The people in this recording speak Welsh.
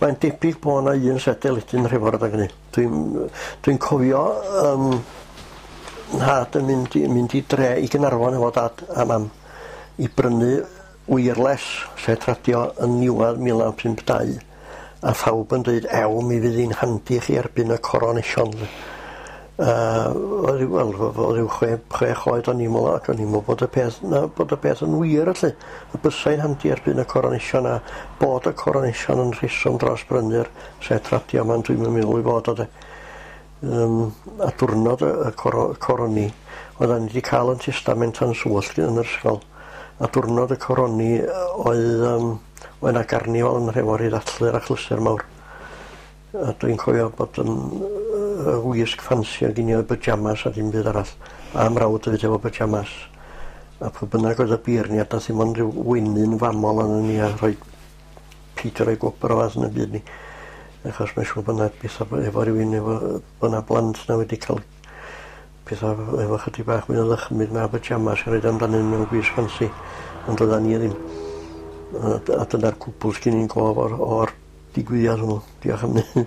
Mae'n debyg bo' 'na un set deledu yn Nhrefor adag 'ny. Dwi'n dwi'n cofio yym 'nhad yn mynd i mynd i dre i Gynarfon efo dad a mam i brynu wireless set radio yn niwadd 1952 a phawb yn deud ew mi fydd 'i'n handi chi erbyn y coronation. Yy oedd wel o ryw 6 oed o'n i'n me'wl ac o'n i'n me'wl bod y peth 'na bod y peth yn wir felly. Y bysai'n handi erbyn y coronation a bod y coronation yn rheswm dros brynu'r set radio 'ma ond dwi'm yn meddwl 'i fod o de. Yym a diwrnod y y coro- coroni oeddan ni 'di ca'l 'yn testament yn swllt yn yr ysgol a diwrnod y coroni oedd yym oedd 'na garnifal yn Nhrefor i ddathlu'r achlysur mawr. A dwi'n cofio bod yn y wisg ffansi oedd gen i oedd pyjamas a dim byd arall. A mrawd hefyd efo pyjamas. A pwy bynnag oedd y beirniad nath ddim ond rhyw wenu'n famol arnon ni a rhoi Peter roi gwobr o fath yn y byd ni. Achos mae'n siŵr bod 'na betha efo rywun efo bod 'na blant 'na wedi cael petha efo chydig bach mwy o ddychmyg na pyjamas i roid amdanyn nhw mewn gwisg ffansi. Ond doeddan ni ddim. A dyna'r cwbl sgyn i'n gof o'r digwyddiad hwnnw. Diolch am 'ny.